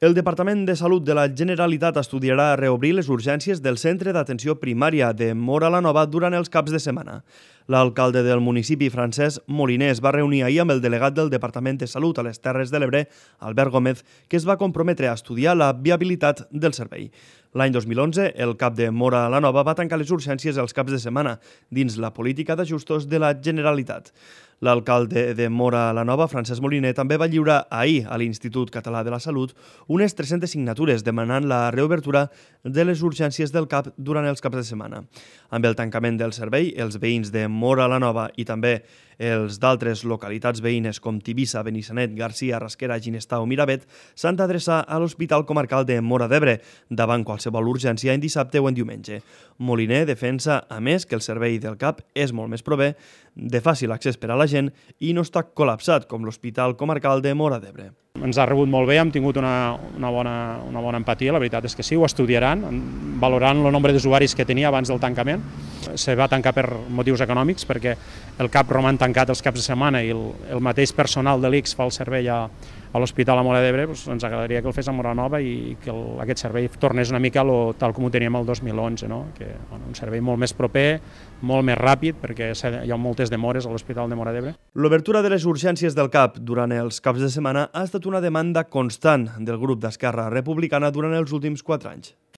El Departament de Salut de la Generalitat estudiarà reobrir les urgències del Centre d'Atenció Primària de Móra la Nova durant els caps de setmana. L'alcalde del municipi, Francesc Moliner, es va reunir ahir amb el delegat del Departament de Salut a les Terres de l'Ebre, Albert Gómez, que es va comprometre a estudiar la viabilitat del servei. L'any 2011, el CAP de Móra la Nova va tancar les urgències els caps de setmana dins la política d'ajustos de la Generalitat. L'alcalde de Móra la Nova, Francesc Moliner, també va lliurar ahir a l'Institut Català de la Salut unes 300 signatures demanant la reobertura de les urgències del CAP durant els caps de setmana. Amb el tancament del servei, els veïns de Móra la Nova i també els d'altres localitats veïnes com Tivissa, Benissanet, Garcia, Rasquera, Ginestar o Miravet s'han d'adreçar a l'Hospital Comarcal de Móra d'Ebre davant qualsevol urgència en dissabte o en diumenge. Moliner defensa, a més, que el servei del CAP és molt més proper, de fàcil accés per a la gent i no està col·lapsat com l'Hospital Comarcal de Móra d'Ebre. Ens ha rebut molt bé, hem tingut una bona empatia, la veritat és que sí, ho estudiaran, valorant el nombre d'usuaris que tenia abans del tancament. Se va tancar per motius econòmics perquè el CAP roman tancat els caps de setmana i el mateix personal de l'ICS fa el servei a l'Hospital a Móra d'Ebre. Ens agradaria que el fes a Móra Nova i que aquest servei tornés una mica tal com ho teníem el 2011, no? Un servei molt més proper, molt més ràpid, perquè hi ha moltes demores a l'Hospital de Móra d'Ebre. L'obertura de les urgències del CAP durant els caps de setmana ha estat una demanda constant del grup d'Esquerra Republicana durant els últims 4 anys.